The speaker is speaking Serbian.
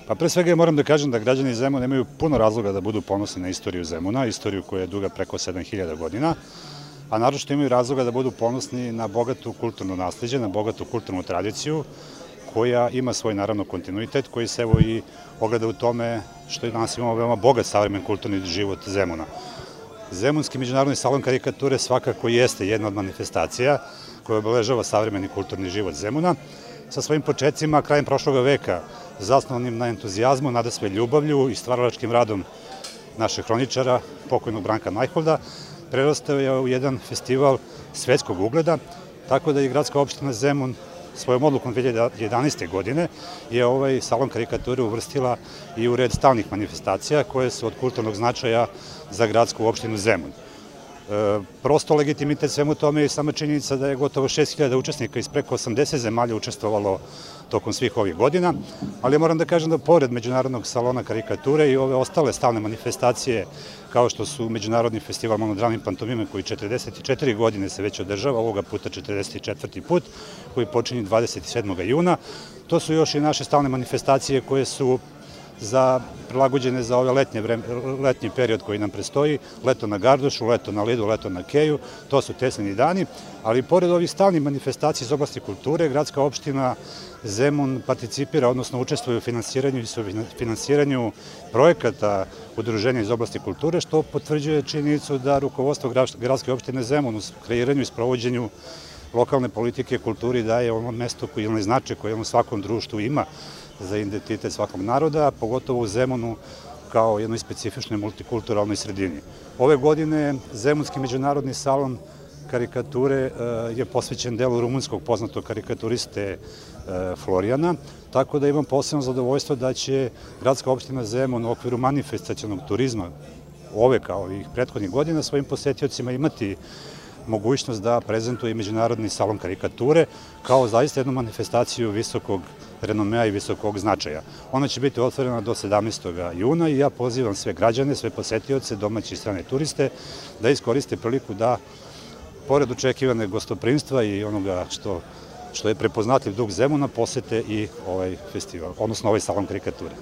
Pa pre svega moram da kažem da građani Zemuna imaju puno razloga da budu ponosni na istoriju Zemuna, istoriju koja je duga preko 7000 godina, a naročito imaju razloga da budu ponosni na bogatu kulturno nasleđe, na bogatu kulturnu tradiciju, koja ima svoj, naravno, kontinuitet, koji se evo i ogleda u tome što danas imamo veoma bogat savremen kulturni život Zemuna. Zemunski međunarodni salon karikature svakako jeste jedna od manifestacija koja obeležava savremeni kulturni život Zemuna, sa svojim početcima krajem prošlog veka, zasnovanim na entuzijazmu, nadasve ljubavlju i stvaralačkim radom našeg hroničara, pokojnog Branka Najholda, prerastao je u jedan festival svetskog ugleda, tako da i gradska opština Zemun svojom odlukom 2011. godine je ovaj salon karikature uvrstila i u red stalnih manifestacija koje su od kulturnog značaja za gradsku opštinu Zemun. Prosto legitimitet svemu tome je sama činjenica da je gotovo 6000 učesnika iz preko 80 zemalja učestvovalo tokom svih ovih godina, ali moram da kažem da pored Međunarodnog salona karikature i ove ostale stalne manifestacije, kao što su Međunarodni festival monodramne pantomime koji 44 godine se već održava, ovoga puta 44. put, koji počinje 27. juna, to su još i naše stalne manifestacije koje su prilagođene za ovaj letnji period koji nam predstoji, leto na Gardušu, leto na Lidu, leto na Keju, to su Teslini dani, ali pored ovih stalnih manifestacija iz oblasti kulture, gradska opština Zemun participira, odnosno učestvuje u finansiranju projekata udruženja iz oblasti kulture, što potvrđuje činjenicu da rukovodstvo gradske opštine Zemun u kreiranju i sprovođenju lokalne politike kulturi daje ono mesto koji je značaj koje u svakom društvu ima za identitet svakog naroda, pogotovo u Zemunu kao jednoj specifičnoj multikulturalnoj sredini. Ove godine Zemunski međunarodni salon karikature je posvećen delu rumunskog poznatog karikaturiste Florijana, tako da imam posebno zadovoljstvo da će gradska opština Zemun u okviru manifestacionog turizma ove kao i prethodnih godina svojim posetiocima imati mogućnost da prezentuje i Međunarodni salon karikature kao zaista jednu manifestaciju visokog renomea i visokog značaja. Ona će biti otvorena do 17. juna i ja pozivam sve građane, sve posetioce, domaće i strane turiste da iskoriste priliku da, pored očekivane gostoprimstva i onoga što je prepoznatljiv duh Zemuna, posete i ovaj festival, odnosno ovaj salon karikature.